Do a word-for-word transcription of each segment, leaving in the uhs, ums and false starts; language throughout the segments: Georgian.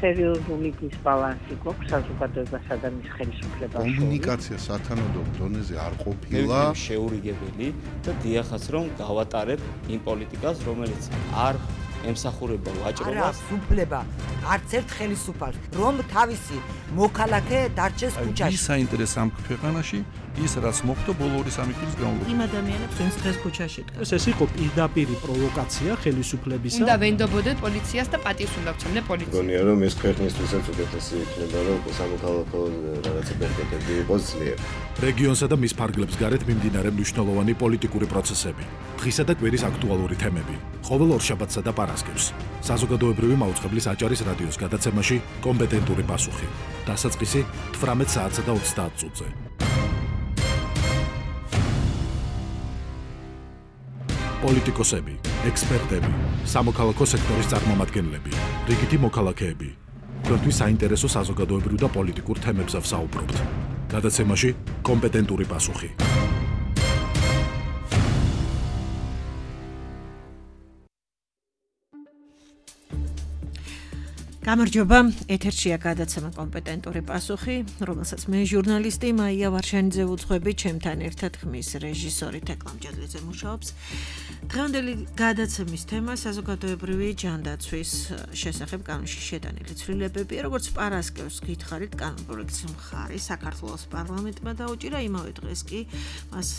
სერიოზული დისბალანსი გვაქვს საზოგადოებასა და მის ხელისუფლებას შორის. კომუნიკაცია სათანადო დონეზე არ ყოფილა შეურიგებელი და დიახაც რომ გავატარებ იმ პოლიტიკას, რომელიც არ ემსახურება ვაჭრობას. არა, უფლება არც ერთ ხელისუფალს, რომ თავისი მოქალაქე დარჩეს ქუჩაში. ის საინტერესო ამ ქვეყანაში ის რაც მოხდა ბოლო ორი სამი წლის განმავლობაში. იმ ადამიანებს ვინც დღეს ქუჩაში დგას. ეს იყო პირდაპირი პროვოკაცია ხელისუფლებისა. უნდა ვენდობოდეთ პოლიციას და პატივს უნდა ვცემდეთ პოლიციას. გონია რომ ეს ქვეყნისთვისაც უკეთესი იქნება რომ სამოქალაქო რაღაცა ბერკეტები იყოს ძლიერ. რეგიონსა და მის ფარგლებს გარეთ მიმდინარე მნიშვნელოვანი პოლიტიკური პროცესები, დღისა და კვირის აქტუალური თემები, ყოველ ორშაბათსა და პარასკევს. საზოგადოებრივი მაუწყებლის აჭარის რადიოს გადაცემაში კომპეტენტური პასუხი. დასაწყისი თვრამეტ საათსა და ოცდაათ წუთზე. პოლიტიკოსები, ექსპერტები, სამოქალაქო სექტორის წარმომადგენლები, რიგითი მოქალაქეები. თქვენთვის საინტერესო საზოგადოებრივ და პოლიტიკურ თემებზე ვსაუბრობთ. გადაცემაში კომპეტენტური პასუხი. გამარჯობა, ეთერშია გადაცემა კომპეტენტური პასუხი, რომელსაც მე ჟურნალისტი მაია ვარშანიძე ვუძღვები, ჩემთან ერთად ხმის რეჟისორი თეკლამ ჯადლიძე მუშაობს. დღევანდელი გადაცემის თემა საზოგადოებრივი ჯანდაცვის შესახებ კანონში შეტანილი ცვლილებები, როგორც პარასკევს გითხარით, კანონპროექტის მხარი საქართველოს პარლამენტმა დაუჭირა, იმავე დღეს კი მას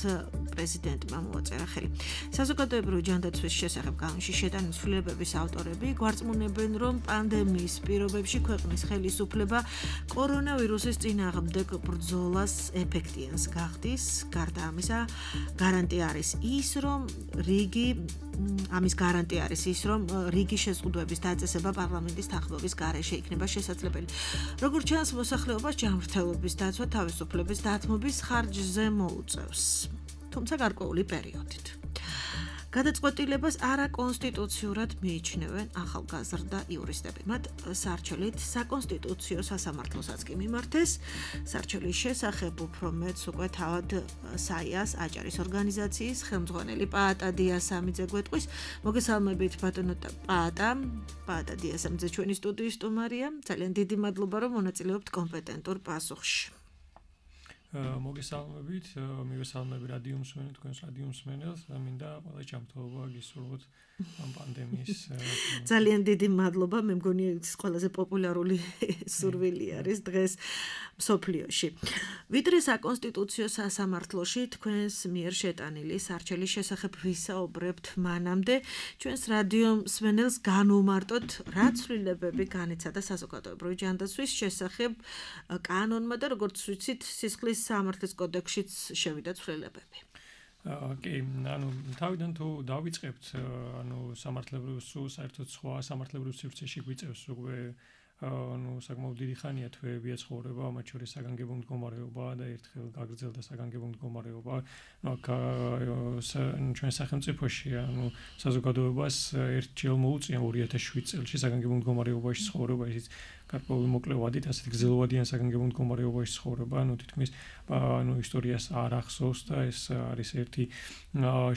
პრეზიდენტმა მოაწერა ხელი. საზოგადოებრივი ჯანდაცვის შესახებ კანონში შეტანილი ცვლილებების ავტორები გვარწმუნებენ, რომ პანდემიის პირობებში ქვეყნის ხელისუფლება კორონავირუსის წინააღმდეგ ბრძოლას ეფექტიანს გახდის. გარდა ამისა, გარანტია არის ის, რომ რიგი ამის გარანტია არის ის, რომ რიგი შეზღუდვების დაწესება პარლამენტის თანხმობის გარეშე იქნება შესაძლებელი. როგორც ჩანს, მოსახლეობას ჯანმრთელობის დაცვა თავისუფლების დათმობის ხარჯზე მოუწევს, თუმცა გარკვეული პერიოდით. გადაწყვეტილებას არაკონსტიტუციურად მიიჩნევენ ახალგაზრდა იურისტები. მათ სარჩელით საკონსტიტუციო სასამართლოსაც კი მიმართეს. სარჩელის შესახებ უფრო მეტს უკვე თავად საიას აჭარის ორგანიზაციის ხელმძღვანელი პაატა დიასამიძე გვეტყვის. მოგესალმებით ბატონო პაატა. პაატა დიასამიძე ჩვენი სტუდიის სტუმარია. ძალიან დიდი მადლობა, რომ მონაწილეობთ კომპეტენტურ პასუხში. მოგესალმებით, მივესალმები რადიო მსმენელს, თქვენს რადიო მსმენელს, მინდა ყველა ჯანმრთელობა გისურვოთ ამ პანდემიის. ძალიან დიდი მადლობა, მე მგონი ეს ყველაზე პოპულარული სურვილი არის დღეს მსოფლიოში. ვიდრე საკონსტიტუციო სასამართლოში თქვენს მიერ შეტანილი სარჩელის შესახებ ვისაუბრებთ მანამდე, ჩვენს რადიო მსმენელს განვმარტოთ, რა ცვლილებები განიცადა საზოგადოებრივი ჯანდაცვის შესახებ კანონმა და როგორც ვიცით, სისხლის სამართლის კოდექსშიც შევიდა ცვლილებები. კი, ანუ თავიდან თუ დავიწყებთ, ანუ სამართლებრივ სულ საერთოდ სხვა სამართლებრივ სივრცეში გვიწევს უკვე ანუ საკმაოდ დიდი ხანია თვეებია ცხოვრება, მათ შორის საგანგებო მდგომარეობა და ერთხელ გაგრძელდა საგანგებო მდგომარეობა. ნუ აქ ჩვენ სახელმწიფოში ანუ საზოგადოებას ერთჯერ მოუწია ორი ათას შვიდ წელს საგანგებო მდგომარეობაში ცხოვრება, ისიც გარკვეული მოკლევადით, ასეთი გრძელვადიან საგანგებო მდგომარეობაში ცხოვრება, ანუ თითქმის ანუ ისტორიას არ ახსოვს და ეს არის ერთი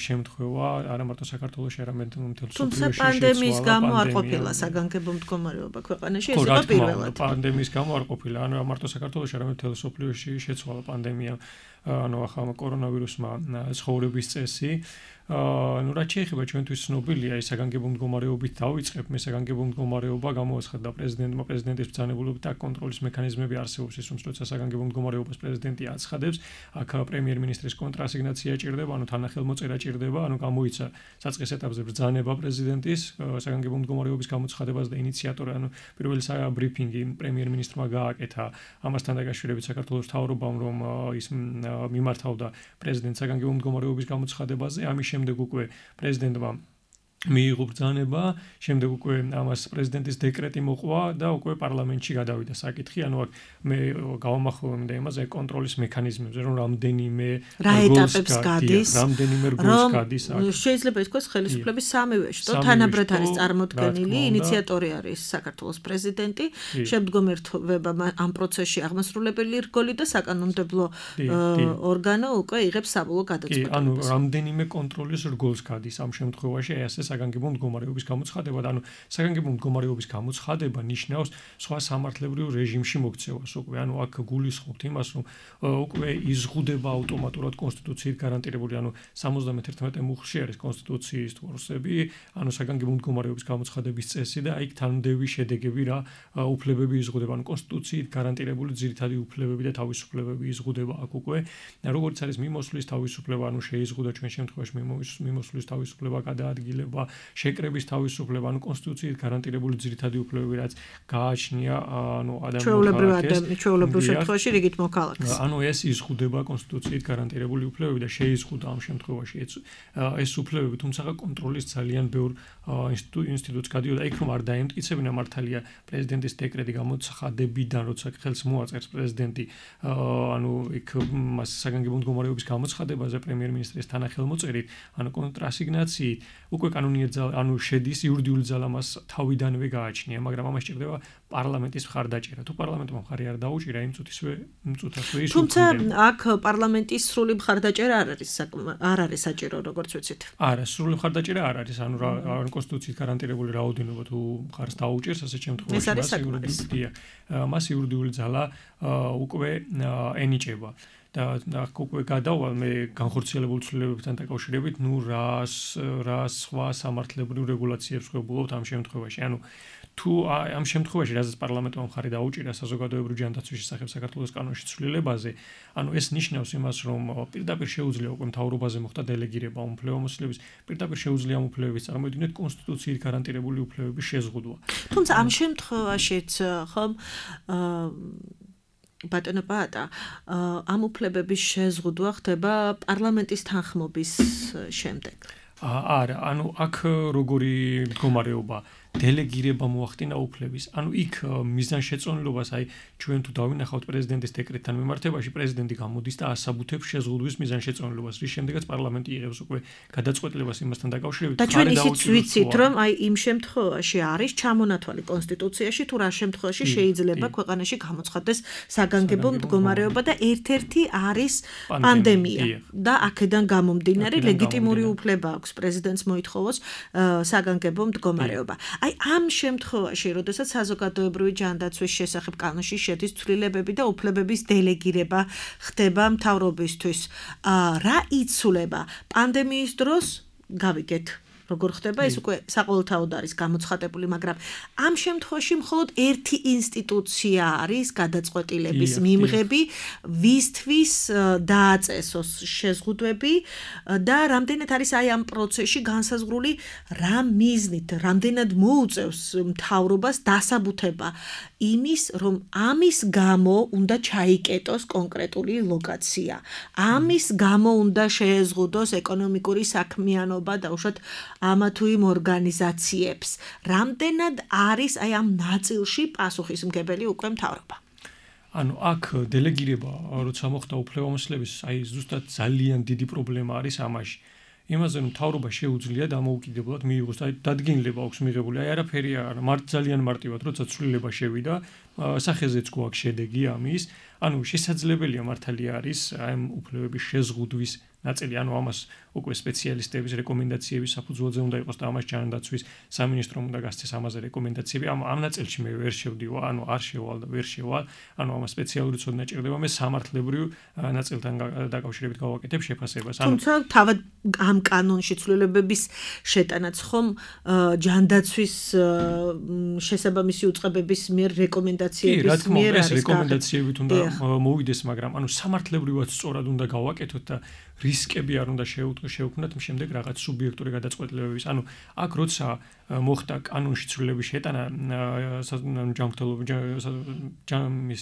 შემთხვევა, არა მარტო საქართველოში, არამედ მთელ მსოფლიოში. თუმცა პანდემიის გამო არ ყოფილა საგანგებო მდგომარეობა ქვეყანაში, ეს იყო პირველად. პანდემიის გამო არ ყოფილა, ანუ მარტო საქართველოში, არამედ მთელ მსოფლიოში შეცვალა პანდემია, ანუ ახალ კორონავირუსმა ცხოვრების წესი. ანუ რაც შეეხება ჩვენთვის ცნობილია ის საგანგებო მდგომარეობით დავიწყებ, მე საგანგებო მდგომარეობა გამოაცხადა პრეზიდენტმა, პრეზიდენტის ბრძანებულობით და კონტროლის მექანიზმები არსებობს ის, რომ როცა საგანგებო მდგომარეობას პრეზიდენტი აცხადებს, აქ პრემიერ-მინისტრის კონტრასიგნაცია ჭირდება, ანუ თანახელმოწერა ჭირდება, ანუ გამოიცა საწყის ეტაპზე ბრძანება პრეზიდენტის საგანგებო მდგომარეობის გამოცხადებას და ინიციატორი, ანუ პირველი ბრიფინგი პრემიერ-მინისტრმა გააკეთა ამასთან დაკავშირებით საქართველოს მთავრობამ, რომ ის მიმართავდა პრეზიდენტს საგანგებო მდგომარეობის გამოცხადებაზე, ამის შემდეგ უკვე პრეზიდენტმა მიიღო ბრძანება, შემდეგ უკვე ამას პრეზიდენტის დეკრეტი მოყვა და უკვე პარლამენტში გადავიდა საკითხი, ანუ აქ მე გავამახვილებდი იმაზე კონტროლის მექანიზმებზე, რომ რამდენიმე რა ეტაპებს გადის, რამდენიმე რგოლს გადის აქ. შეიძლება ითქვას ხელისუფლების სამივე შტო თანაბრად არის წარმოდგენილი, ინიციატორი არის საქართველოს პრეზიდენტი, შემდგომ ერთვება ამ პროცესში აღმასრულებელი რგოლი და საკანონმდებლო ორგანო უკვე იღებს საბოლოო გადაწყვეტილებას. ანუ რამდენიმე კონტროლის რგოლს გადის ამ შემთხვევაში, აი ასე საგანგებო მდგომარეობის გამოცხადება და ანუ საგანგებო მდგომარეობის გამოცხადება ნიშნავს სხვა სამართლებრივ რეჟიმში მოქცევას უკვე ანუ აქ გულისხმობთ იმას რომ უკვე იზღუდება ავტომატურად კონსტიტუციით გარანტირებული ანუ სამოცდამეთერთმეტე მუხლში არის კონსტიტუციის თორსები ანუ საგანგებო მდგომარეობის გამოცხადების წესი და იქ თანმდევი შედეგები რა უფლებები იზღუდება ანუ კონსტიტუციით გარანტირებული ძირითადი უფლებები და თავისუფლებები იზღუდება აქ უკვე როგორც არის მიმოსვლის თავისუფლება ანუ შეიზღუდა ჩვენ შემთხვევაში მიმოსვლის თავისუფლება გადაადგილება შეკრების თავისუფლება ანუ კონსტიტუციით გარანტირებული ძირითადი უფლებები რაც გააჩნია ანუ ადამიანის ჩვეულებრივ შემთხვევაში რიგით მოქალაქეს ანუ ეს იზღუდება კონსტიტუციით გარანტირებული უფლებები და შეიზღუდა ამ შემთხვევაში ეს უფლებები თუმცა კონტროლის ძალიან ბევრ ინსტიტუტს გადიოდა იქ რომ არ დაემტკიცებინა მართალია პრეზიდენტის დეკრეტი გამოცხადებიდან როცა ხელს მოაწერს პრეზიდენტი ანუ იქ მას საგანგებო მდგომარეობის გამოცხადებაზე პრემიერ-მინისტრის თანახელმოწერით ანუ კონტრასიგნაციით უკვე კანონიერ ანუ შედის იურიდიული ძალა მას თავიდანვე გააჩნია მაგრამ ამას სჭირდება პარლამენტის მხარდაჭერა თუ პარლამენტმა მხარი არ დაუჭირა იმ წუთისვე წუთასვე ის თუმცა აქ პარლამენტის სრული მხარდაჭერა არ არის არ არის საჭირო როგორც ვიცით არა სრული მხარდაჭერა არ არის ანუ რა კონსტიტუციით გარანტირებული რაოდენობა თუ მხარს დაუჭერს ასეთ შემთხვევაში მას იურიდიული ძალა უკვე ენიჭება და აქ უკვე გადავალ მე განხორციელებულ ცვლილებებთან დაკავშირებით ნუ რას რა სხვა სამართლებრივ რეგულაციებს ხვებულობთ ამ შემთხვევაში ანუ თუ ამ შემთხვევაში რაზეც პარლამენტმა მხარი დაუჭირა საზოგადოებრივი ჯანდაცვის შესახებ საქართველოს კანონში ცვლილებაზე ანუ ეს ნიშნავს იმას რომ პირდაპირ შეუძლია უკვე მთავრობაზე მოხდა დელეგირება უფლებამოსილების პირდაპირ შეუძლია უფლებების წარმოიდგინეთ კონსტიტუციით გარანტირებული უფლებების შეზღუდვა თუმცა ამ შემთხვევაშიც ხომ ბატონო პაატა ამ უფლებების შეზღუდვა ხდება პარლამენტის თანხმობის შემდეგ არა ანუ აქ როგორი მდგომარეობა დელეგირება მოახდინა უფლების. ანუ იქ მიზანშეწონილობას აი ჩვენ თუ დავინახავთ პრეზიდენტის დეკრეტთან მიმართებაში პრეზიდენტი გამოდის და ასაბუთებს შეზღუდვის მიზანშეწონილობას, რის შემდეგაც პარლამენტი იღებს უკვე გადაწყვეტილებას იმასთან დაკავშირებით. და ჩვენ ისიც ვიცით, რომ აი იმ შემთხვევაში არის ჩამონათვალი კონსტიტუციაში თუ რა შემთხვევაში შეიძლება ქვეყანაში გამოცხადდეს საგანგებო მდგომარეობა და ერთ-ერთი არის პანდემია და აქედან გამომდინარე ლეგიტიმური უფლება აქვს პრეზიდენტს მოითხოვოს საგანგებო მდგომარეობა. აი ამ შემთხვევაში, როდესაც საზოგადოებრივი ჯანდაცვის შესახებ კანონში შედის ცვლილებები და უფლებების დელეგირება ხდება მთავრობისთვის, რა იცვლება პანდემიის დროს გავიგეთ როგორ ხდება ეს უკვე საყოველთაოდ არის გამოცხადებული, მაგრამ ამ შემთხვევაში მხოლოდ ერთი ინსტიტუცია არის გადაწყვეტილების მიმღები, ვისთვის დააწესოს შეზღუდვები და რამდენად არის აი ამ პროცესში განსაზღვრული რა მიზნით, რამდენად მოუწევს მთავრობას დასაბუთება იმის, რომ ამის გამო უნდა ჩაიკეტოს კონკრეტული ლოკაცია. ამის გამო უნდა შეეზღუდოს ეკონომიკური საქმიანობა და უშუალოდ ამა თუ იმ ორგანიზაციებს. რამდენად არის აი ამ ნაწილში პასუხისმგებელი უკვე მთავრობა? ანუ აქ დელეგირება, როცა მოხდა უფლებამოსილების, აი ზუსტად ძალიან დიდი პრობლემა არის ამაში. იმაზე რომ მთავრობა შეუძლია დამოუკიდებლად მიიღოს, აი დადგენილება აქვს მიღებული, აი არაფერი არ, მართ ძალიან მარტივად, როცა ცვლილება შევიდა, სახეზეც გვაქვს შედეგი ამის, ანუ შესაძლებელია მართალია არის აი ამ უფლებების შეზღუდვის ნაწილი, ანუ ამას უკვე სპეციალისტების რეკომენდაციების საფუძველზე უნდა იყოს და ამას ჯანდაცვის სამინისტრომ უნდა გასცეს ამაზე რეკომენდაციები. ამ ამ ნაწილში მე ვერ შევდივა, ანუ არ შევალ და ვერ შევალ, ანუ ამას სპეციალური ცოდნა ჭირდება, მე სამართლებრივ ნაწილთან დაკავშირებით გავაკეთებ შეფასებას. ანუ თუმცა თავად ამ კანონში ცვლილებების შეტანაც ხომ ჯანდაცვის შესაბამისი უწყებების მიერ რეკომენდაციების მიერ არის. ეს რეკომენდაციებით უნდა მოვიდეს, მაგრამ ანუ სამართლებრივად სწორად უნდა გავაკეთოთ და რისკები არ უნდა შევქმნათ შემდეგ რაღაც სუბიექტური გადაწყვეტილებების. ანუ აქ როცა მოხდა კანონში ცვლილების შეტანა ჯანმრთელობის ჯამის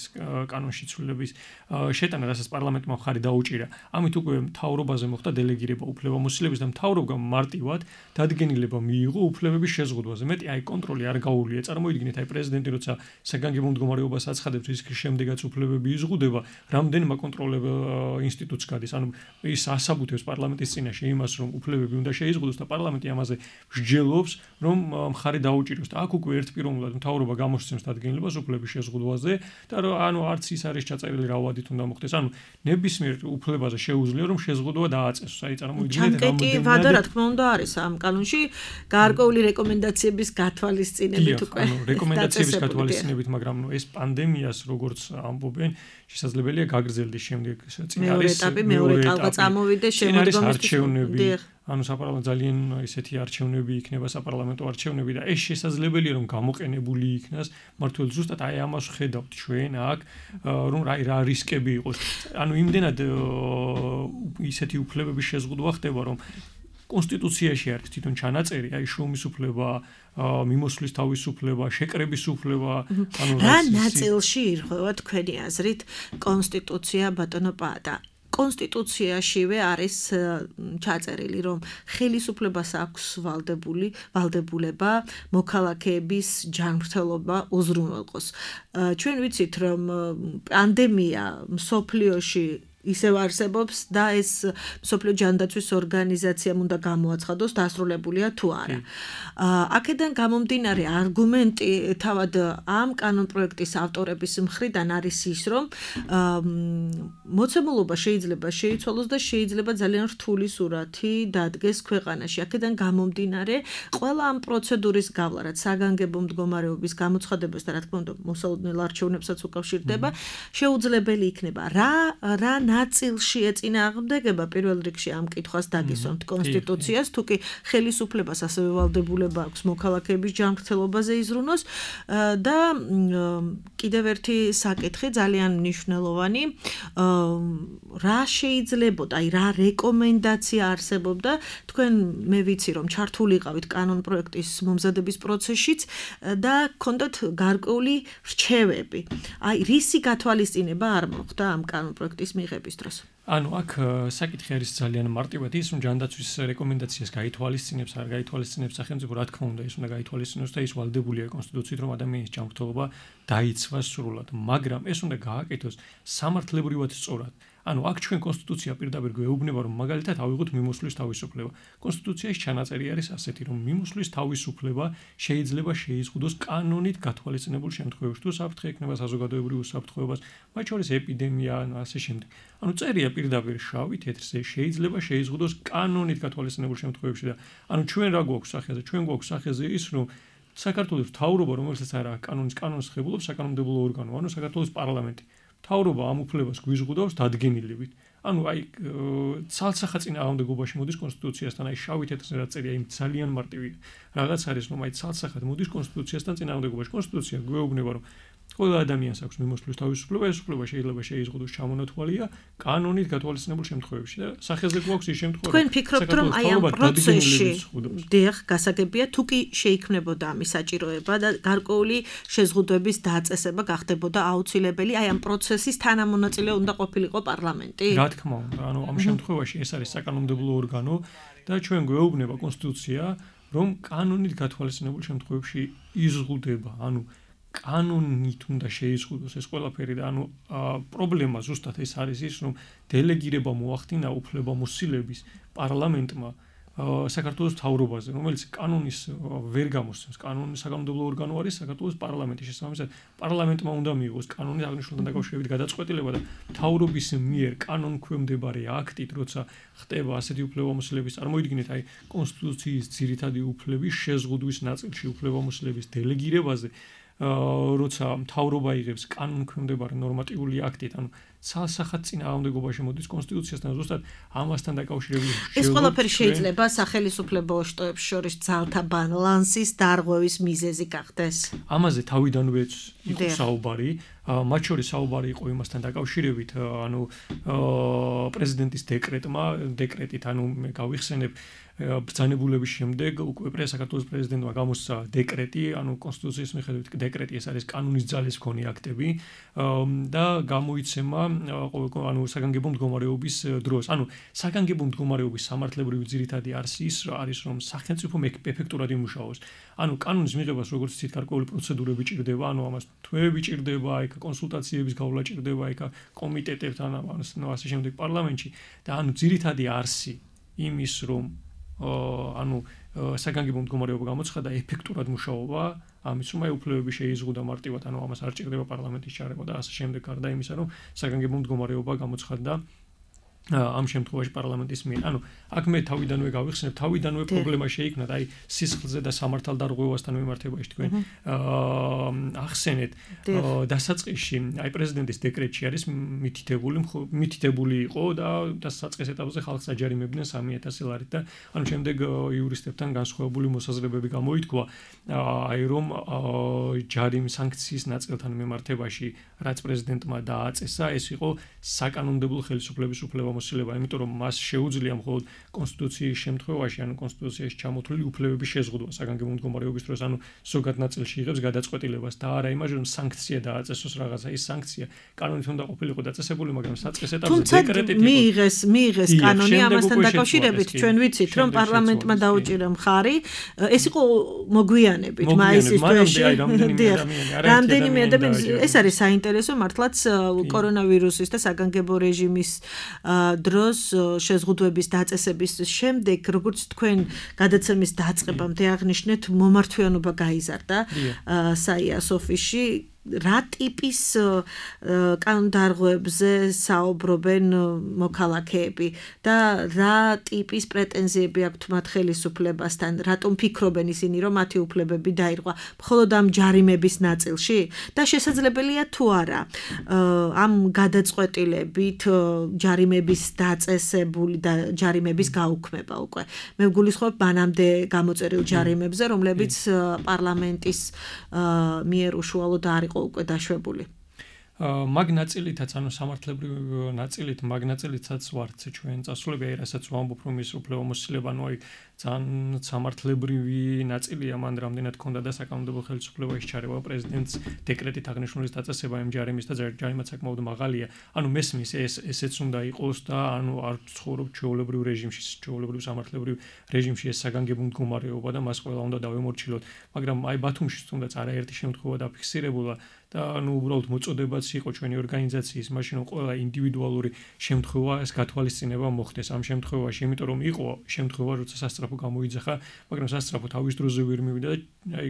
კანონში ცვლილების შეტანა, რასაც პარლამენტმა მხარი დაუჭირა, ამით უკვე მთავრობაზე მოხდა დელეგირება უფლებამოსილების და მთავრობამ მარტივად დადგენილება მიიღო უფლებების შეზღუდვაზე. მეტი აი კონტროლი არ გაუვლია. წარმოიდგინეთ აი პრეზიდენტი როცა საგანგებო მდგომარეობას აცხადებს, ის შემდეგაც უფლებები იზღუდება, რამდენმა კონტროლებელ ინსტიტუტს გადის. ანუ ის ასაბუთებს პარლამენტის წინაშე პარლამენტიაში იმას, რომ უფლებები უნდა შეიზღუდოს და პარლამენტი ამაზე მსჯელობს, რომ მხარი დაუჭიროს და აქ უკვე ერთპიროვნულად მთავრობა გამოსცემს დადგენილებას უფლების შეზღუდვაზე და ანუ არც ის არის ჩაწერილი რა ვადით უნდა მოხდეს. ანუ ნებისმიერ უფლებაზე შეუძლია რომ შეზღუდვა დააწესოს. აი წარმოიდგინეთ ჩანკეტი ვადა რა თქმა უნდა არის ამ კანონში გარკვეული რეკომენდაციების გათვალისწინებით უკვე. ანუ რეკომენდაციების გათვალისწინებით, მაგრამ ეს პანდემიას როგორც ამბობენ, შესაძლებელია გაგრძელდეს შემდეგ წინ მეორე ეტაპი, მეორე ტალღა წამოვიდეს შემოდგომის არჩევნები. ანუ საპარლამენტო ძალიან ისეთი არჩევნები იქნება, საპარლამენტო არჩევნები და ეს შესაძლებელია რომ გამოყენებული იქნას მართლაც ზუსტად აი ამას ხედავთ ჩვენ აქ რომ რა რა რისკები იყოს. ანუ იმდენად ისეთი უფლებების შეზღუდვა ხდება რომ კონსტიტუციაში არის თვითონ ჩანაწერი, აი შრომის უფლება, მიმოსვლის თავისუფლება, შეკრების უფლება, ანუ რა ნაწილში ირღვევა თქვენი აზრით კონსტიტუცია ბატონო პაატა? კონსტიტუციაშივე არის ჩაწერილი, რომ ხელისუფლებას აქვს ვალდებული, ვალდებულება მოქალაქეების ჯანმრთელობა უზრუნველყოს. ჩვენ ვიცით, რომ პანდემია მსოფლიოში ისევ არსებობს და ეს მსოფლიო ჯანდაცვის ორგანიზაციამ უნდა გამოაცხადოს დასრულებულია თუ არა. აქედან გამომდინარე არგუმენტი თავად ამ კანონპროექტის ავტორების მხრიდან არის ის, რომ მოცემულობა შეიძლება შეიცვალოს და შეიძლება ძალიან რთული სურათი დადგეს ქვეყანაში. აქედან გამომდინარე ყველა ამ პროცედურის გავლა, რაც საგანგებო მდგომარეობის გამოცხადებას და რა თქმა უნდა მოსალოდნელ არჩევნებსაც უკავშირდება, შეუძლებელი იქნება. რა რა ნაწილში ეწინააღმდეგება პირველ რიგში ამ კითხვას დაგისვამთ კონსტიტუციას, თუ კი ხელისუფლებას ასევე ვალდებულება აქვს მოქალაქეების ჯანმრთელობაზე იზრუნოს და კიდევ ერთი საკითხი ძალიან მნიშვნელოვანი, რა შეიძლებოდა, აი რა რეკომენდაცია არსებობდა, თქვენ მე ვიცი რომ ჩართულიყავით კანონპროექტის მომზადების პროცესშიც და გქონდათ გარკვეული რჩევები. აი რისი გათვალისწინება არ მოხდა ამ კანონპროექტის მიღების დროს? ანუ აქ საკითხი არის ძალიან მარტივად ის, რომ ჯანდაცვის რეკომენდაციას გაითვალისწინებს, არ გაითვალისწინებს სახელმწიფო, რა თქმა უნდა, ის უნდა გაითვალისწინოს და ის ვალდებულია კონსტიტუციით, რომ ადამიანის ჯანმრთელობა დაიცვას სრულად, მაგრამ ეს უნდა გააკეთოს სამართლებრივად სწორად. ანუ აქ ჩვენ კონსტიტუცია პირდაპირ გვეუბნება, რომ მაგალითად ავიღოთ მიმოსვლის თავისუფლება. კონსტიტუციაში ჩანაწერი არის ასეთი, რომ მიმოსვლის თავისუფლება შეიძლება შეიზღუდოს კანონით გათვალისწინებულ შემთხვევებში, თუ საფრთხე ექნება საზოგადოებრივ უსაფრთხოებას, მათ შორის ეპიდემია, ანუ ასე შემდეგ. ანუ წერია პირდაპირ შავი თეთრზე შეიძლება შეიზღუდოს კანონით გათვალისწინებულ შემთხვევებში და ანუ ჩვენ რა გვაქვს სახეზე? ჩვენ გვაქვს სახეზე ის, რომ საქართველოს მთავრობა, რომელსაც არა კანონის კანონს ხებულობს საკანონმდებლო ორგანო, ანუ საქართველოს პარლამენტი. მთავრობა ამ უფლებას გვიზღუდავს დადგენილებით. ანუ აი ცალსახა წინააღმდეგობაში მოდის კონსტიტუციასთან, აი შავი თეთრზე რა წერია, იმ ძალიან მარტივი რაღაც არის, რომ აი ცალსახად მოდის კონსტიტუციასთან წინააღმდეგობაში. კონსტიტუცია გვეუბნება, რომ ყველა ადამიანს აქვს მიმოსვლის თავისუფლება, ეს უფლება შეიძლება შეიზღუდოს ჩამონათვალია კანონით გათვალისწინებულ შემთხვევებში და სახეზე გვაქვს ის შემთხვევა, თქვენ ფიქრობთ, რომ აი ამ პროცესში დიახ, გასაგებია, თუ კი შეიქმნებოდა ამის საჭიროება და გარკვეული შეზღუდვების დაწესება გახდებოდა აუცილებელი, აი ამ პროცესის თანამონაწილე უნდა ყოფილიყო პარლამენტი? რა თქმა უნდა, ანუ ამ შემთხვევაში ეს არის საკანონმდებლო ორგანო და ჩვენ გვეუბნება კონსტიტუცია, რომ კანონით გათვალისწინებულ შემთხვევებში იზღუდება, ანუ კანონით უნდა შეიზღუდოს ეს ყველაფერი და ანუ პრობლემა ზუსტად ეს არის ის, რომ დელეგირება მოახდინა უფლებამოსილების პარლამენტმა საქართველოს მთავრობაზე, რომელიც კანონის ვერ გამოსცემს. კანონის საკანონმდებლო ორგანო არის საქართველოს პარლამენტი. შესაბამისად, პარლამენტმა უნდა მიიღოს კანონის აღნიშნულთან დაკავშირებით გადაწყვეტილება და მთავრობის მიერ კანონქვემდებარე აქტით, როცა ხდება ასეთი უფლებამოსილების, წარმოიდგინეთ, აი კონსტიტუციის ძირითადი უფლების შეზღუდვის ნაწილში უფლებამოსილების დელეგირებაზე როცა მთავრობა იღებს კანონქვემდებარე ნორმატიული აქტით, ანუ ცალსახად წინააღმდეგობაში მოდის კონსტიტუციასთან, ზუსტად ამასთან დაკავშირებით. ეს ყველაფერი შეიძლება სახელმწიფო შტოებს შორის ძალთა ბალანსის დარღვევის მიზეზი გახდეს. ამაზე თავიდანვე იყო საუბარი, მათ შორის საუბარი იყო იმასთან დაკავშირებით, ანუ პრეზიდენტის დეკრეტმა, დეკრეტით, ანუ მე გავიხსენებ ბრძანებულების შემდეგ უკვე საქართველოს პრეზიდენტმა გამოსცა დეკრეტი, ანუ კონსტიტუციის მიხედვით დეკრეტი ეს არის კანონის ძალის მქონე აქტები და გამოიცემა ანუ საგანგებო მდგომარეობის დროს. ანუ საგანგებო მდგომარეობის სამართლებრივი ძირითადი არსი ის არის, რომ სახელმწიფო ეფექტურად იმუშაოს. ანუ კანონის მიღებას როგორც ცით გარკვეული პროცედურები ჭირდება, ანუ ამას თვეები ჭირდება, იქ კონსულტაციების გავლა ჭირდება, იქ კომიტეტებთან, ანუ ასე შემდეგ პარლამენტში და ანუ ძირითადი არსი იმის რომ ანუ საგანგებო მდგომარეობა გამოცხადა ეფექტურად მუშაობა ამის რომ აი უფლებები შეიზღუდა მარტივად ანუ ამას არ ჭირდება პარლამენტის ჩარევა და ასე შემდეგ გარდა იმისა რომ საგანგებო მდგომარეობა გამოცხადდა ამ შემთხვევაში პარლამენტის მიერ. ანუ აქ მე თავიდანვე გავიხსენებ, თავიდანვე პრობლემა შეიქმნა და აი სისხლზე და სამართალდარღვევასთან მიმართებაში თქვენ ახსენეთ დასაწყისში აი პრეზიდენტის დეკრეტში არის მითითებული მითითებული იყო და დასაწყის ეტაპზე ხალხს აჯარიმებდნენ სამი ათასი ლარით და ანუ შემდეგ იურისტებთან განსხვავებული მოსაზრებები გამოითქვა აი რომ ჯარიმ სანქციის ნაწილთან მიმართებაში რაც პრეზიდენტმა დააწესა ეს იყო საკანონმდებლო ხელისუფლების უფლება მოსილება, იმიტომ რომ მას შეუძლია მხოლოდ კონსტიტუციის შემთხვევაში, ანუ კონსტიტუციაში ჩამოთვლილი უფლებების შეზღუდვა საგანგებო მდგომარეობის დროს, ანუ ზოგად ნაწილში იღებს გადაწყვეტილებას და არა იმაში, რომ სანქცია დააწესოს რაღაცა, ის სანქცია კანონით უნდა ყოფილიყო დაწესებული, მაგრამ საწყის ეტაპზე დეკრეტით იყო. მიიღეს, მიიღეს კანონი ამასთან დაკავშირებით, ჩვენ ვიცით, რომ პარლამენტმა დაუჭირა მხარი, ეს იყო მოგვიანებით, მაისის თვეში. რამდენიმე ადამიანი, ეს არის საინტერესო, მართლაც კორონავირუსის და საგანგებო რეჟიმის დროს შეზღუდვების დაწესების შემდეგ როგორც თქვენ გადაცემის დაწყებამდე აღნიშნეთ მომართვიანობა გაიზარდა საიას ოფისში რა ტიპის კანონდარღვევებზე საუბრობენ მოქალაქეები და რა ტიპის პრეტენზიები აქვთ მათ ხელისუფლებასთან, რატომ ფიქრობენ ისინი, რომ მათი უფლებები დაირღვა მხოლოდ ამ ჯარიმების ნაწილში და შესაძლებელია თუ არა ამ გადაწყვეტილებით ჯარიმების დაწესებული და ჯარიმების გაუქმება უკვე. მე ვგულისხმობ მანამდე გამოწერილ ჯარიმებზე, რომლებიც პარლამენტის მიერ უშუალოდ არ უკვე დაშვებული. მაგ ნაწილითაც, ანუ სამართლებრივ ნაწილით, მაგ ნაწილითაც ვართ ჩვენ წასულები, აი რასაც ვამბობ, რომ ის უფლებამოსილება, ანუ აი ძალიან სამართლებრივი ნაწილია, მან რამდენად ქონდა და საკანონმდებლო ხელისუფლებაში ჩარევა პრეზიდენტს დეკრეტით აღნიშნულის დაწესება იმ ჯარიმის და ჯარიმაც საკმაოდ მაღალია. ანუ მესმის ეს ესეც უნდა იყოს და ანუ არ ცხოვრობ ჩვეულებრივ რეჟიმში, ჩვეულებრივ სამართლებრივ რეჟიმში ეს საგანგებო მდგომარეობა და მას ყველა უნდა დავემორჩილოთ. მაგრამ აი ბათუმში თუნდაც არაერთი შემთხვევა დაფიქსირებულა და ანუ უბრალოდ მოწოდებაც იყო ჩვენი ორგანიზაციის, მაშინ რომ ყველა ინდივიდუალური შემთხვევა ეს გათვალისწინება მოხდეს ამ შემთხვევაში, იმიტომ რომ იყო შემთხვევა, როცა სასწრაფო გამოიძახა, მაგრამ სასწრაფო თავის დროზე ვერ მივიდა და აი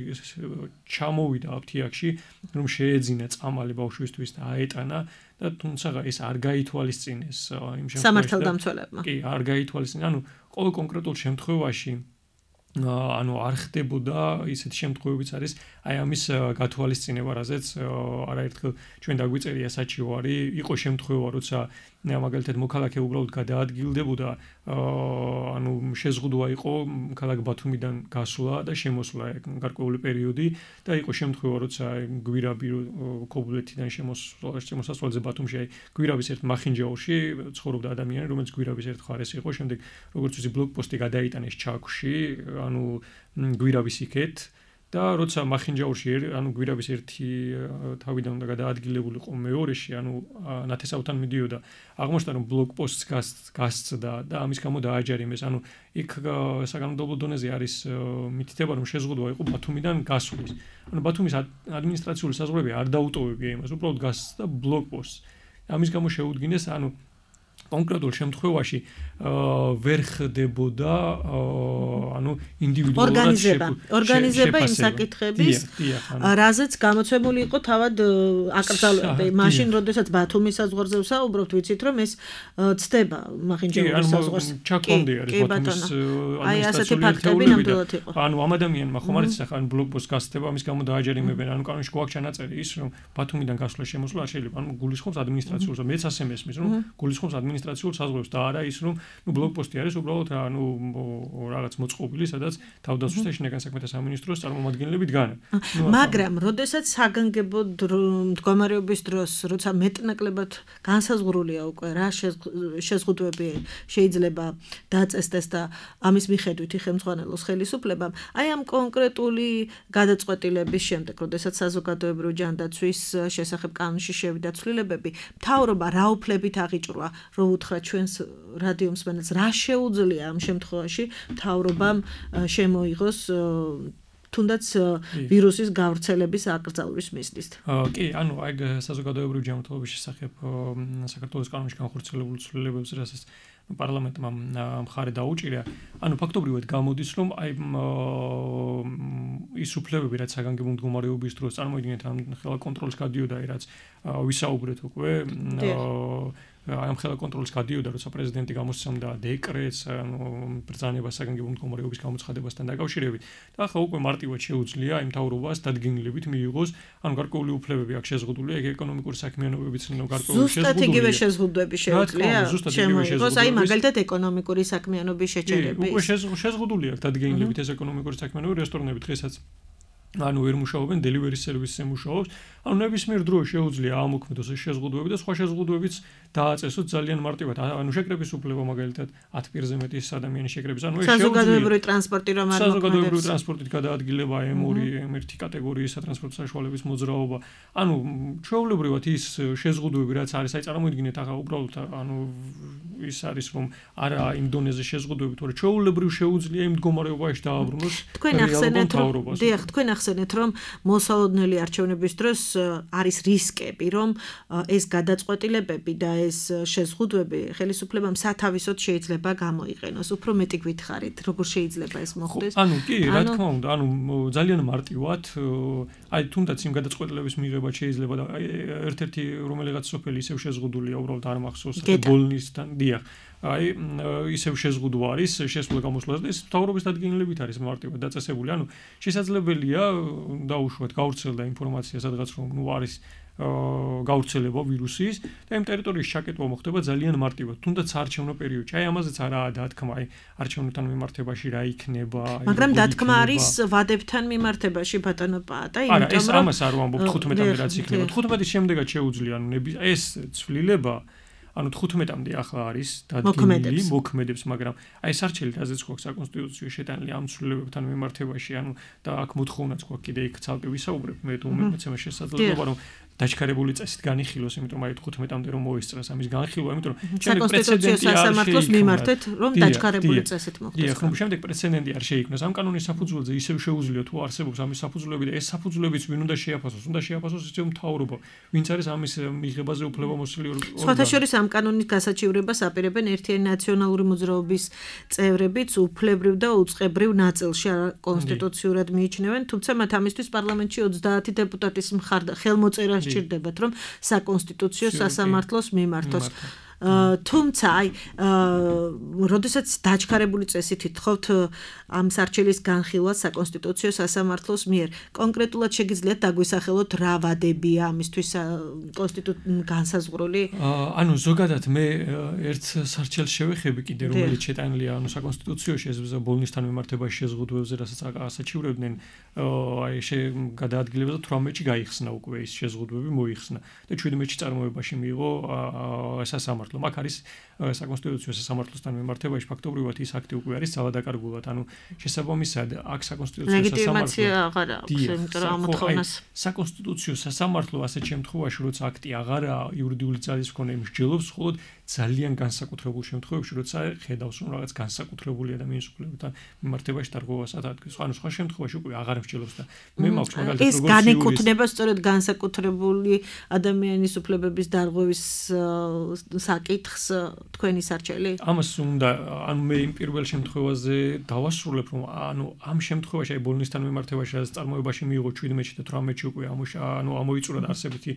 ჩამოვიდა აფთიაქში, რომ შეეძინა წამალი ბავშვისთვის და აეტანა და თუმცა ეს არ გაითვალისწინეს იმ შემთხვევაში. სამართალდამცველებმა. კი, არ გაითვალისწინეს. ანუ ყოველ კონკრეტულ შემთხვევაში ანუ არ ხდებოდა ისეთი შემთხვევებიც არის აი ამის გათვალისწინება, რაზეც არაერთხელ ჩვენ დაგვიწერია საჩივარი, იყო შემთხვევა, როცა მაგალითად მოქალაქე უბრალოდ გადაადგილდებოდა, ანუ შეზღუდვა იყო ქალაქ ბათუმიდან გასვლა და შემოსვლა გარკვეული პერიოდი და იყო შემთხვევა, როცა გვირაბი ქობულეთიდან შემოსვლა შემოსასვლელზე ბათუმში აი გვირაბის ერთ მახინჯაურში ცხოვრობდა ადამიანი, რომელიც გვირაბის ერთ მხარეს იყო, შემდეგ როგორც ვიცი ბლოკპოსტი გადაიტანეს ჩაქვში, ანუ გვირაბის იქეთ და როცა მახინჯაურში ანუ გვირაბის ერთი თავიდან უნდა გადაადგილებულიყო მეორეში, ანუ ნათესავთან მიდიოდა, აღმოჩნდა რომ ბლოკპოსტს გასცდა და ამის გამო დააჯარიმეს. ანუ იქ საკანონმდებლო დონეზე არის მითითება, რომ შეზღუდვა იყო ბათუმიდან გასვლის. ანუ ბათუმის ადმინისტრაციული საზღვრები არ დაუტოვებია იმას, უბრალოდ გასცდა ბლოკპოსტს. ამის გამო შეუდგინეს, ანუ კონკრეტულ შემთხვევაში ვერ ხდებოდა ანუ ინდივიდუალურად ორგანიზება ორგანიზება იმ საკითხების რაზეც გამოცემული იყო თავად აკრძალვები მაშინ როდესაც ბათუმის საზღვარზე ვსაუბრობთ ვიცით რომ ეს ცდება მახინჯაურის საზღვარს ჩაკონდი არის ბათუმის აი ასეთი ფაქტები ნამდვილად იყო ანუ ამ ადამიანმა ხომ არის ახლა ან ბლოკპოსტს გასცდება ამის გამო დააჯერიმებენ ანუ კანონში გვაქვს ჩანაწერი ის რომ ბათუმიდან გასვლა შემოსვლა არ შეიძლება ანუ გულისხმობს ადმინისტრაციულს მეც ასე მესმის რომ გულისხმობს ადმინისტრაციულ საზღვრებს და არა ის რომ ნუ ბლოკპოსტი არის უბრალოდ ანუ რაღაც მოწყობილი სადაც თავდაცვის და შინაგან საქმეთა სამინისტროს წარმომადგენლები დგანან მაგრამ როდესაც საგანგებო მდგომარეობის დროს როცა მეტნაკლებად განსაზღვრულია უკვე რა შეზღუდვები შეიძლება დაწესდეს და ამის მიხედვით იხელმძღვანელოს ხელისუფლებამ აი ამ კონკრეტული გადაწყვეტილების შემდეგ როდესაც საზოგადოებრივი ჯანდაცვის შესახებ კანონში შევიდა ცვლილებები მთავრობა რა უფლებით აღიჭრვა რომ უთხრა ჩვენს რადიო მსმენელს რა შეუძლია ამ შემთხვევაში მთავრობამ შემოიღოს თუნდაც ვირუსის გავრცელების აკრძალვის მიზნით. კი, ანუ აი საზოგადოებრივი ჯანმრთელობის შესახებ საქართველოს კანონში განხორციელებულ ცვლილებებს, რასაც პარლამენტმა მხარე დაუჭირა. ანუ ფაქტობრივად გამოდის, რომ აი ის უფლებები, რაც საგანგებო მდგომარეობის დროს წარმოიდგინეთ, ამ ხელა კონტროლს გადიოდა, რაც ვისაუბრეთ უკვე ამ ხელა კონტროლს გადიოდა, როცა პრეზიდენტი გამოსცემდა დეკრეტს, ანუ ბრძანება საგანგებო მდგომარეობის გამოცხადებასთან დაკავშირებით. და ახლა უკვე მარტივად შეუძლია იმ მთავრობას დადგენილებით მიიღოს, ანუ გარკვეული უფლებები აქ შეზღუდულია, ეგ ეკონომიკური საქმიანობებიც გარკვეული შეზღუდულია. ზუსტად იგივე შეზღუდვები შეუძლია. შემოიღოს, აი მაგალითად ეკონომიკური საქმიანობის შეჩერების. უკვე შეზღუდულია აქ დადგენილებით ეს ეკონომიკური საქმიანობები, რესტორნები დღესაც ანუ ვერ მუშაობენ, delivery service-ზე მუშაობს. ანუ ნებისმიერ დროს შეუძლია ამოქმედოს ეს შეზღუდვები და სხვა შეზღუდვებიც დააწესოთ ძალიან მარტივად. ანუ შეკრების უფლება მაგალითად ათ პირზე მეტი ადამიანის შეკრების. ანუ ეს შეუძლია საზოგადოებრივი ტრანსპორტი რომ არ მოქმედებს. საზოგადოებრივი ტრანსპორტით გადაადგილება ემ ორი, ემ ერთი კატეგორიის სატრანსპორტო საშუალების მოძრაობა. ანუ ჩვეულებრივად ის შეზღუდვები რაც არის, აი წარმოიდგინეთ ახლა უბრალოდ ანუ ის არის რომ არა იმ დონეზე შეზღუდვები, თორე ჩვეულებრივ შეუძლია იმ მდგომარეობაში დააბრუნოს. თქვენ ახსენეთ რომ დიახ, თქვენ ახსენეთ რომ მოსალოდნელი არჩევნების დროს არის რისკები, რომ ეს გადაწყვეტილებები და ეს შეზღუდვები ხელისუფლებამ სათავისოდ შეიძლება გამოიყენოს. უფრო მეტი გითხარით, როგორ შეიძლება ეს მოხდეს? ანუ კი, რა თქმა უნდა, ანუ ძალიან მარტივად, აი თუნდაც იმ გადაწყვეტილების მიღება შეიძლება და ერთ-ერთი რომელიღაც სოფელი ისევ შეზღუდულია, უბრალოდ არ მახსოვს ბოლნისთან, დიახ. აი ისევ შეზღუდვა არის შესვლა გამოსვლას და ეს მთავრობის დადგენილებით არის მარტივად დაწესებული. ანუ შესაძლებელია დაუშვათ გავრცელდა ინფორმაცია სადღაც რომ ნუ არის გავრცელება ვირუსის და იმ ტერიტორიის ჩაკეტვა მოხდება ძალიან მარტივად. თუნდაც არჩევნო პერიოდში. აი ამაზეც არაა დათქმა, აი არჩევნებთან მიმართებაში რა იქნება. მაგრამ დათქმა არის ვადებთან მიმართებაში ბატონო პაატა, იმიტომ რომ არა, ეს ამას არ ვამბობ თხუთმეტამდე რაც იქნება. თხუთმეტის შემდეგაც შეუძლია, ანუ ეს ცვლილება ანუ თხუთმეტამდე ახლა არის დადგენილი, მოქმედებს, მაგრამ აი სარჩელი რაზეც გვაქვს საკონსტიტუციო შეტანილი ამ ცვლილებებთან მიმართებაში, ანუ და აქ მოთხოვნაც გვაქვს კიდე იქ ცალკე ვისაუბრებ, მე თუ მეცემა შესაძლებლობა რომ დაჩქარებული წესით განიხილოს, იმიტომ რომ აი თხუთმეტამდე რომ მოისწრას ამის განხილვა, იმიტომ რომ შემდეგ პრეცედენტი არ სამართლოს მიმართეთ, რომ დაჩქარებული წესით მოხდეს. დიახ, რომ შემდეგ პრეცედენტი არ შეიქმნას. ამ კანონის საფუძველზე ისევ შეუძლია თუ არსებობს ამის საფუძვლები და ეს საფუძვლებიც ვინ უნდა შეაფასოს, უნდა შეაფასოს ისევ მთავრობა, ვინც არის ამის მიღებაზე უფლებამოსილი ორგანო. სხვათა შორის ამ კანონის გასაჩივრებას აპირებენ ერთიანი ნაციონალური მოძრაობის წევრებიც უფლებრივ და უწყებრივ ნაწილში კონსტიტუციურად მიიჩნევენ, თუმცა მათ ამისთვის პარლამენტში ოცდაათი დეპუტატის ხელმოწერა სჭირდებათ, რომ საკონსტიტუციო სასამართლოს მიმართოს. თუმცა აი როდესაც დაჩქარებული წესით ითხოვთ ამ სარჩელის განხილვას საკონსტიტუციო სასამართლოს მიერ, კონკრეტულად შეგიძლიათ დაგვისახელოთ რა ვადებია ამისთვის განსაზღვრული? ანუ ზოგადად მე ერთ სარჩელს შევეხები კიდე, რომელიც შეტანილია ანუ საკონსტიტუციაში ეს ბოლნისთან მიმართებაში შეზღუდვებზე, რასაც ასაჩივრებდნენ, აი გადაადგილება და თვრამეტში გაიხსნა უკვე ის შეზღუდვები მოიხსნა და ჩვიდმეტში წარმოებაში მიიღო სასამართლო. მაგ არის საკონსტიტუციო სასამართლოსთან მიმართებაში ფაქტობრივად ის აქტი უკვე არის ძალადაკარგულად, ანუ შესაბამისად აქ საკონსტიტუციო ლეგიტიმაცია აღარ აქვს, იმიტომ რომ ამოთხოვნას საკონსტიტუციო სასამართლო ასეთ შემთხვევაში, როცა აქტი აღარა იურიდიული ძალის მქონე მსჯელობს, მხოლოდ ძალიან განსაკუთრებულ შემთხვევებში, როცა ხედავს რომ რაღაც განსაკუთრებული ადამიანის უფლებებთან მიმართებაში დარღვევას ატარებს. ანუ სხვა შემთხვევაში უკვე აღარ მსჯელობს და მე მაქვს მაგალითად როგორც ეს განეკუთვნება სწორედ განსაკუთრებული ადამიანის უფლებების დარღვევის საკითხს თქვენი სარჩელი? ამას უნდა, ანუ მე იმ პირველ შემთხვევაზე დავასრულებ, რომ ანუ ამ შემთხვევაში აი ბოლნისთან მიმართებაში რაც წარმოებაში მიიღო ჩვიდმეტში და თვრამეტში უკვე ამოშა, ანუ ამოიწურა არსებითი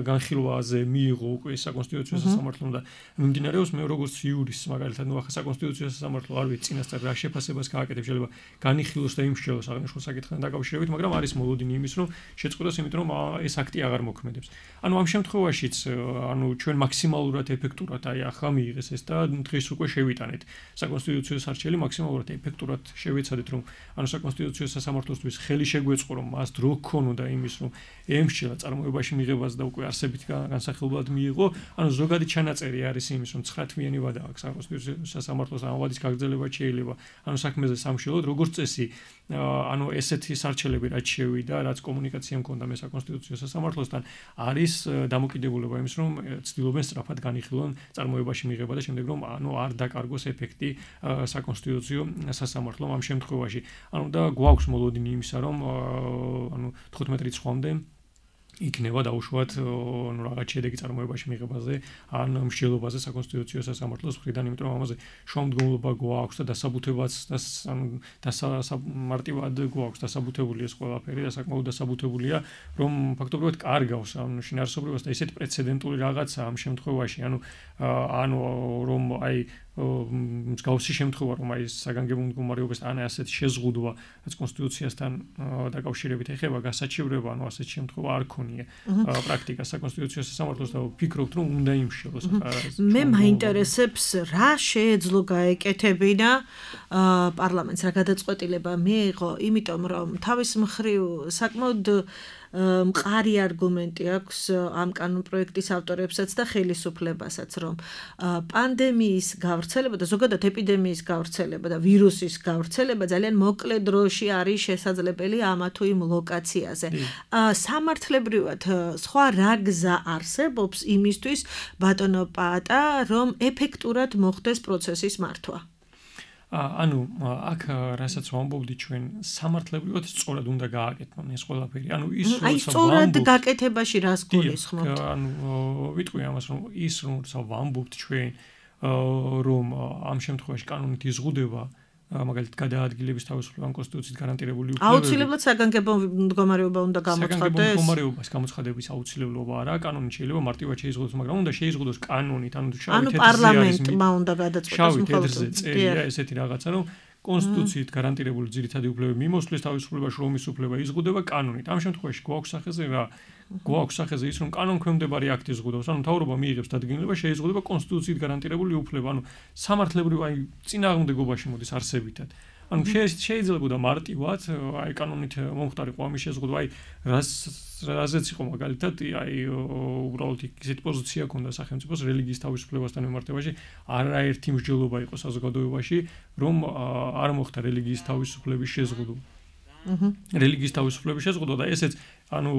განხილვაზე მიიღო უკვე საკონსტიტუციო სასამართლომ და მიმდინარეობს მე როგორც იურისტს მაგალითად, ნუ ახლა საკონსტიტუციო სასამართლო არ ვიცი წინასწარ რა შეფასებას გააკეთებს, შეიძლება განიხილოს და იმსჯელოს აღნიშნულ საკითხთან დაკავშირებით, მაგრამ არის მოლოდინი იმის, რომ შეწყვეტოს, იმიტომ რომ ეს აქტი აღარ მოქმედებს. ანუ ამ შემთხვევაშიც, ანუ ჩვენ მაქსიმალურად ეფექტურად აი ახლა მიიღეს ეს და დღეს უკვე შევიტანეთ. საკონსტიტუციო სარჩელი მაქსიმალურად ეფექტურად შევეცადეთ, რომ ანუ საკონსტიტუციო სასამართლოსთვის ხელი შეგვეწყო, რომ მას დრო გქონოდა იმის, რომ ემსჯელა წარმოებაში მიღებას და უკვე არსებით განსახილებლად მიიღო. ანუ ზოგადი ჩანაწერი არის იმის, რომ ცხრა თვიანი ვადა აქვს საკონსტიტუციო სასამართლოს ამ ვადის გაგრძელება შეიძლება. ანუ საქმეზე სამშელოდ როგორც წესი, ანუ ესეთი სარჩელები რაც შევიდა, რაც კომუნიკაცია მქონდა მე საკონსტიტუციო სასამართლოსთან, არის დამოკიდებულება იმის, რომ ცდილობენ სწრაფად განიხილონ წარმოებაში მიღება და შემდეგ რომ ანუ არ დაკარგოს ეფექტი საკონსტიტუციო სასამართლომ ამ შემთხვევაში. ანუ და გვაქვს მოლოდინი იმისა, რომ ანუ თხუთმეტ რიცხვამდე იქნება დაუშვათ ნუ რაღაც შედეგი წარმოებაში მიღებაზე ან მსჯელობაზე საკონსტიტუციო სასამართლოს მხრიდან, იმიტომ რომ ამაზე შუამდგომლობა გვაქვს და დასაბუთებაც და ანუ დასამარტივად გვაქვს დასაბუთებული ეს ყველაფერი და საკმაოდ დასაბუთებულია, რომ ფაქტობრივად კარგავს ამ შინაარსობრივას და ესეთი პრეცედენტული რაღაცა ამ შემთხვევაში, ანუ ანუ რომ აი მსგავსი შემთხვევა რომ აი საგანგებო მდგომარეობას ან ასეთი შეზღუდვა რაც კონსტიტუციასთან დაკავშირებით ეხება გასაჩივრება, ანუ ასეთი შემთხვევა არ ქონია პრაქტიკა საკონსტიტუციო სასამართლოს და ვფიქრობთ რომ უნდა იმშელოს. მე მაინტერესებს რა შეეძლო გაეკეთებინა პარლამენტს, რა გადაწყვეტილება მიიღო, იმიტომ რომ თავის მხრივ საკმაოდ მყარი არგუმენტი აქვს ამ კანონპროექტის ავტორებსაც და ხელისუფლებასაც, რომ პანდემიის გავრცელება და ზოგადად ეპიდემიის გავრცელება და ვირუსის გავრცელება ძალიან მოკლე დროში არის შესაძლებელი ამა თუ იმ ლოკაციაზე. სამართლებრივად სხვა რა გზა არსებობს იმისთვის, ბატონო პაატა, რომ ეფექტურად მოხდეს პროცესის მართვა? ანუ აქ რასაც ვამბობდი ჩვენ სამართლებრივად სწორად უნდა გააკეთონ ეს ყველაფერი. ანუ ის რომ აი სწორად გაკეთებაში რას გულისხმობთ? ანუ ვიტყვი ამას რომ ის რომ ვამბობთ ჩვენ რომ ამ შემთხვევაში კანონით იზღუდება მაგალითად გადაადგილების თავისუფლება კონსტიტუციით გარანტირებული უფლებები. აუცილებლად საგანგებო მდგომარეობა უნდა გამოცხადდეს. საგანგებო მდგომარეობის გამოცხადების აუცილებლობა არა, კანონით შეიძლება მარტივად შეიზღუდოს, მაგრამ უნდა შეიზღუდოს კანონით, ანუ შავი თეთრზე არის. ანუ პარლამენტმა უნდა გადაწყვეტოს შავი თეთრზე წერია ესეთი რაღაცა, რომ კონსტიტუციით გარანტირებული ძირითადი უფლებები მიმოსვლის თავისუფლება, შრომის უფლება იზღუდება კანონით. ამ შემთხვევაში გვაქვს სახეზე რა? გვაქვს სახეზე ის რომ კანონქვემდებარე აქტი იზღუდავს, ანუ მთავრობა მიიღებს დადგენილება, შეიზღუდება კონსტიტუციით გარანტირებული უფლება, ანუ სამართლებრივ აი წინააღმდეგობაში მოდის არსებითად. ანუ შეიძლება მარტივად აი კანონით მომხდარიყო ამის შეზღუდვა, აი რას რაზეც იყო მაგალითად აი უბრალოდ ისეთი პოზიცია ქონდა სახელმწიფოს რელიგიის თავისუფლებასთან მიმართებაში, არაერთი მსჯელობა იყო საზოგადოებაში, რომ არ მოხდა რელიგიის თავისუფლების შეზღუდვა. რელიგიის თავისუფლების შეზღუდვა და ესეც ანუ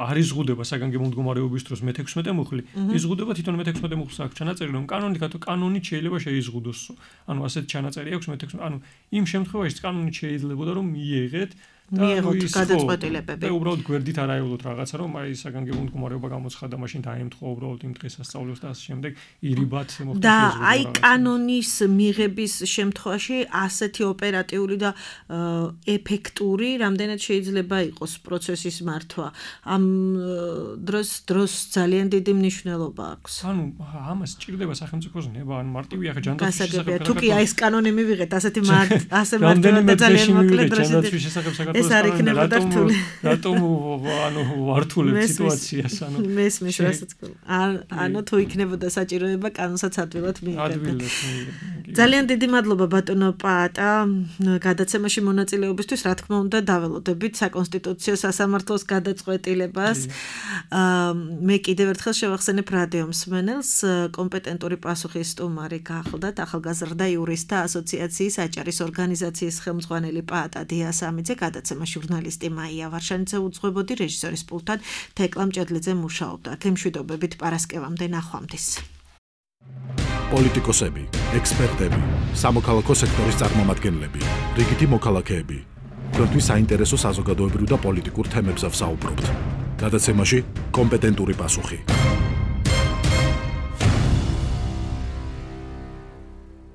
არ იზღუდება საგანგებო მდგომარეობის დროს მეთექვსმეტე მუხლი. იზღუდება თვითონ მეთექვსმეტე მუხლს აქვს ჩანაწერი, რომ კანონით კანონით შეიძლება შეიზღუდოს. ანუ ასეთ ჩანაწერი აქვს მეთექვსმეტე, ანუ იმ შემთხვევაში კანონით შეიძლებოდა რომ მიიღეთ მიიღოთ გადაწყვეტილებები. და უბრალოდ გვერდით არ აევლოთ რაღაცა, რომ აი საგანგებო მდგომარეობა გამოცხადდა, მაშინ დაემთხვა უბრალოდ იმ დღესასწაულს და ასე შემდეგ ირიბად მოხდა და აი კანონის მიღების შემთხვევაში ასეთი ოპერატიული და ეფექტური რამდენად შეიძლება იყოს პროცესის მართვა. ამ დროს დროს ძალიან დიდი მნიშვნელობა აქვს. ანუ ამას ჭირდება სახელმწიფოს ნება, ან მარტივი ახლა ჯანდაცვის შესახებ. თუ კი აი ეს კანონი მივიღეთ, ასეთი ასე მარტივად და ძალიან მოკლე დროში ეს არ იქნებოდა რთული. რატომ ანუ ვართულებ სიტუაციას, ანუ მესმის რასაც ანუ თუ იქნებოდა საჭიროება კანონსაც ადვილად მიიღებდა. ძალიან დიდი მადლობა ბატონო პაატა გადაცემაში მონაწილეობისთვის, რა თქმა უნდა დაველოდებით საკონსტიტუციო სასამართლოს გადაწყვეტილებას. მე კიდევ ერთხელ შევახსენებ რადიო მსმენელს, კომპეტენტური პასუხის სტუმარი გახლდათ ახალგაზრდა იურისტთა ასოციაციის აჭარის ორგანიზაციის ხელმძღვანელი პაატა დიასამიძე, გადაცემა ჟურნალისტი მაია ვარშანიძე უძღვებოდი, რეჟისორის პულტად თეკლა მჭედლიძე მუშაობდა. გემშვიდობებით პარასკევამდე ნახვამდის. პოლიტიკოსები, ექსპერტები, სამოქალაქო სექტორის წარმომადგენლები, რიგითი მოქალაქეები. თქვენთვის საინტერესო საზოგადოებრივ და პოლიტიკურ თემებზე ვსაუბრობთ. გადაცემაში კომპეტენტური პასუხი.